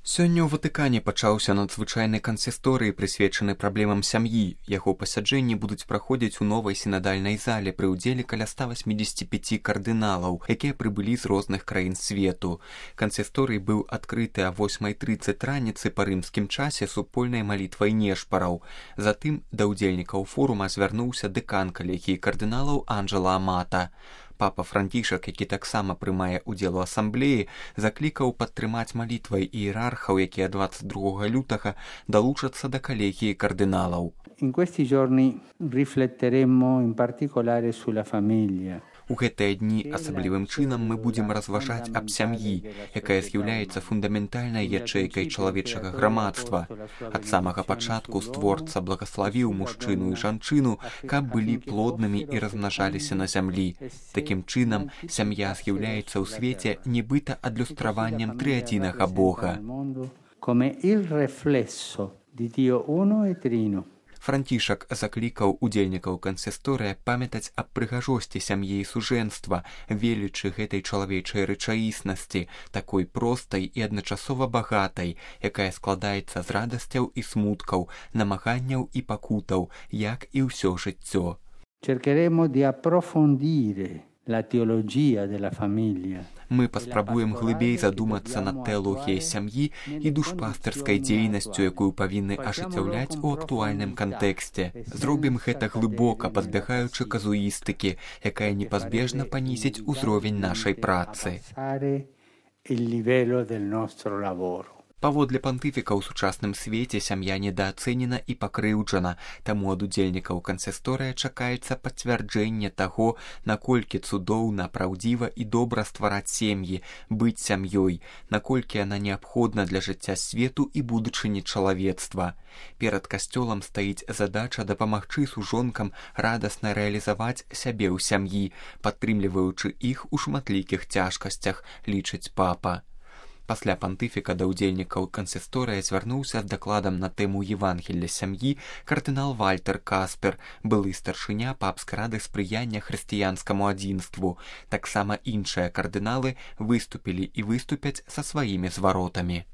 Сёння ў Ватыкане пачаўся надзвычайны кансісторый, прысвечаны праблемам сям'і. Яго пасяджэнні будуць праходзіць у новай сінадальнай зале пры ўдзеле каля 185 кардыналаў, якія прыбылі з розных краін свету. Кансісторый быў адкрыты а 8:30 раніцы па рымскім часе супольнай малітвай нешпараў. Затым да ўдзельнікаў форума звярнуўся дэкан калегіі кардыналаў Анджела Амата. Папа Францішак, які таксама прымае ўдзел у асамблеі, заклікаў падтрымаць малітвай іерархаў, якія 22 лютага далучацца да калегіі кардыналаў. In questi giorni rifletteremo in particolare sulla famiglia. У гэтыя дні асаблівым чынам мы будзем разважаць аб сям'і, якая з'яўляецца фундаментальнай ячэйкай чалавечага грамадства. Ад самага пачатку створца благаславіў мужчыну і жанчыну, каб былі плоднымі і размнажаліся на зямлі. Такім чынам, сям'я з'яўляецца ў свеце нібыта адлюстраваннем трыадзінага Бога. Come il riflesso di Dio uno e trino. Францішак заклікаў удзельнікаў кансісторыя памятаць аб прыгажосці сям'і і сужэнства, велічы гэтай чалавечай рэчаіснасці, такой простай і адначасова багатай, якая складаецца з радасцяў і смуткаў, намаганняў і пакутаў, як і ўсё жыццё. Cercheremo di approfondire la teologia della famiglia. Мы паспрабуем глыбей задумацца над тэалогіяй сям'і і душпастырскай дзейнасцю, якую павінны ажыццяўляць у актуальным кантэксце. Зробім гэта глыбока, пазбягаючы казуістыкі, якая непазбежна панізіць узровень нашай працы. Паводле пантыфіка ў сучасным свеце сям'я недаацэнена і пакрыўджана, таму ад удзельнікаў кансісторыя чакаецца пацвярджэнне таго, наколькі цудоўна, праўдзіва і добра ствараць сем'і, быць сям'ёй, наколькі яна неабходна для жыцця свету і будучыні чалавецтва. Перад касцёлам стаіць задача дапамагчы сужонкам радасна рэалізаваць сябе ў сям'і, падтрымліваючы іх у шматлікіх цяжкасцях, лічыць папа. Пасля пантыфіка да ўдзельнікаў кансісторыя звярнуўся з дакладам на тэму Евангелля сям'і кардынал Вальтер Каспер, былы старшыня папскай рады спрыяння хрысціянскаму адзінству. Таксама іншыя кардыналы выступілі і выступяць са сваімі зваротамі.